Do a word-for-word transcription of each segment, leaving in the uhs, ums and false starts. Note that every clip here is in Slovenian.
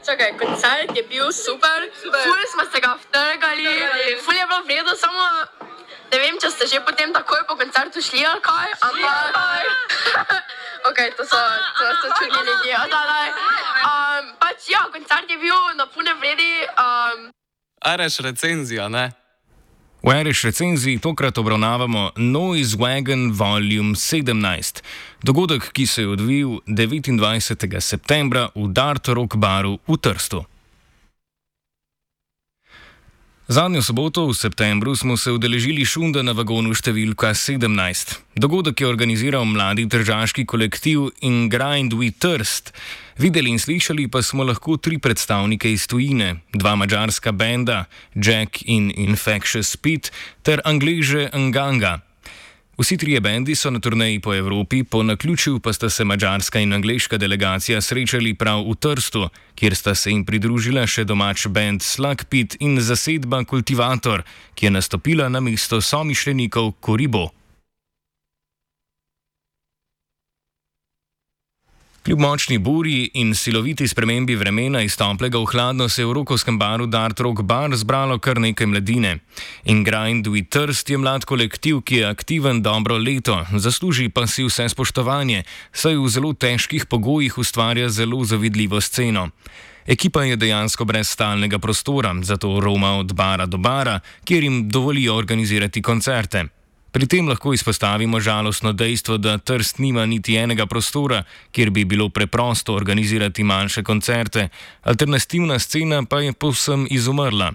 čakaj, koncert je bil super, super. Ful smo se ga vtrgali, ful je bilo v redu, samo ne vem, če ste že potem takoj po koncertu šli ali kaj, ampak ok, to so, to so čudni ljudje, da, da. Um, pač ja, koncert je bil na pune vredi. Um... Areš recenzija, ne? V Areš recenziji tokrat obravnavamo Noise Wagon Volume sedemnajst, dogodek, ki se je odvil devetindvajsetega septembra v Dart Rock baru v Trstu. Zadnjo soboto v septembru smo se udeležili šunda na vagonu številka sedemnajst. Dogodek je organiziral mladi tržaški kolektiv In Grind We Trst. Videli in slišali pa smo lahko tri predstavnike iz tujine, dva madžarska benda, Jack in Infectious Pete, ter Angleže Nganga. Vsi trije bendi so na turneji po Evropi, po naključju pa sta se madžarska in angleška delegacija srečali prav v Trstu, kjer sta se jim pridružila še domač bend Slug Pit in zasedba Kultivator, ki je nastopila na mesto somišljenikov Koribo. Kljub močni burji in siloviti spremembi vremena iz toplega v hladno se je v rokovskem baru Dart Rock Bar zbralo kar nekaj mladine. In Grind We Trst je mlad kolektiv, ki je aktiven dobro leto, zasluži pa si vse spoštovanje, saj v zelo težkih pogojih ustvarja zelo zavidljivo sceno. Ekipa je dejansko brez stalnega prostora, zato roma od bara do bara, kjer jim dovolijo organizirati koncerte. Pri tem lahko izpostavimo žalostno dejstvo, da Trst nima niti enega prostora, kjer bi bilo preprosto organizirati manjše koncerte, alternativna scena pa je povsem izumrla.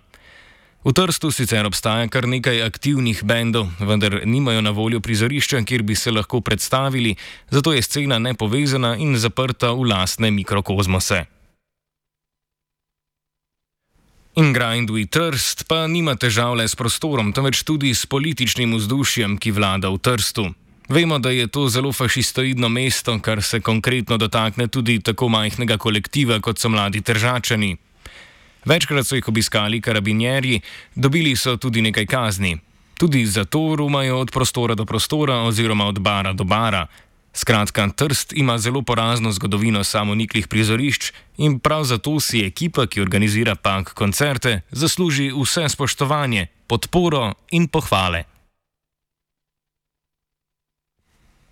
V Trstu sicer obstaja kar nekaj aktivnih bendov, vendar nimajo na voljo prizorišča, kjer bi se lahko predstavili, zato je scena nepovezana in zaprta v lastne mikrokozmose. In Grind We Trst pa nima težav le s prostorom, temveč tudi s političnim vzdušjem, ki vlada v Trstu. Vemo, da je to zelo fašistoidno mesto, kar se konkretno dotakne tudi tako majhnega kolektiva, kot so mladi Tržačani. Večkrat so jih obiskali karabinjerji, dobili so tudi nekaj kazni. Tudi zato romajo od prostora do prostora oziroma od bara do bara. Skratka, Trst ima zelo porazno zgodovino samoniklih prizorišč in prav zato si ekipa, ki organizira punk koncerte, zasluži vse spoštovanje, podporo in pohvale.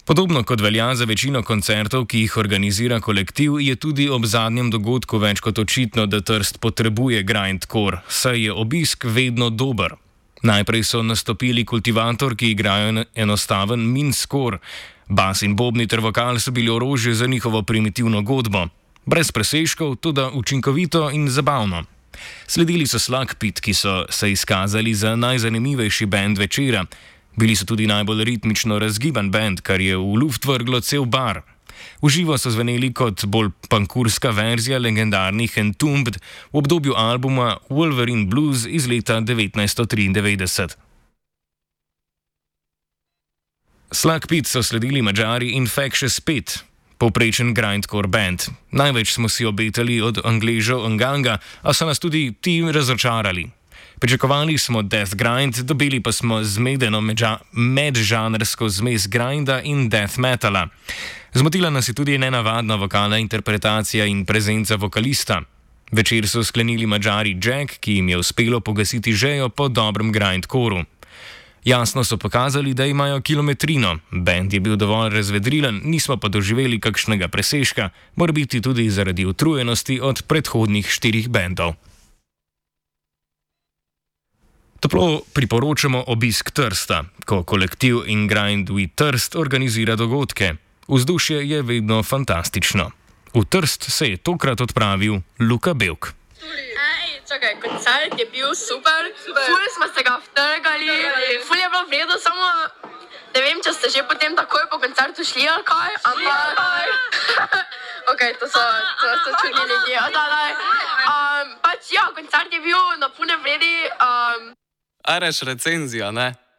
Podobno kot velja za večino koncertov, ki jih organizira kolektiv, je tudi ob zadnjem dogodku več kot očitno, da Trst potrebuje grindcore, saj je obisk vedno dober. Najprej so nastopili Kultivator, ki igrajo enostaven min-score. Bas in bobni ter vokal so bili orožje za njihovo primitivno godbo. Brez presežkov, toda učinkovito in zabavno. Sledili so Slug Pit, ki so se izkazali za najzanimivejši bend večera. Bili so tudi najbolj ritmično razgiban bend, kar je v luft vrglo cel bar. V živo so zveneli kot bolj punkurska verzija legendarnih Entombed v obdobju albuma Wolverine Blues iz leta devetnajststo triindevetdeset. Slug Pit so sledili Madžari Infectious Pete, povprečen grindcore band. Največ smo si obetali od Angležev Nganga, a so nas tudi ti razočarali. Pričakovali smo death grind, dobili pa smo zmedeno medžanrsko zmes grinda in death metala. Zmotila nas je tudi nenavadna vokalna interpretacija in prezenca vokalista. Večer so sklenili Madžari Jack, ki jim je uspelo pogasiti žejo po dobrem grindcoru. Jasno so pokazali, da imajo kilometrino. Bend je bil dovolj razvedrilen, nismo pa doživeli kakšnega presežka, mora biti tudi zaradi utrujenosti od predhodnih štirih bendov. Toplo priporočamo obisk Trsta, ko kolektiv In Grind We Trst organizira dogodke. Vzdušje je vedno fantastično. V Trst se je tokrat odpravil Luka Belk. Čakaj, koncert je bil super, super. Ful smo se ga vtrgali, ful je bilo v redu, samo ne vem, če ste že potem takoj po koncertu šli ali kaj, ampak ok, to so, to so čudni ljudje, da, da. Um, pač ja, koncert je bil na pune vredi. Um... Areš recenzija, ne?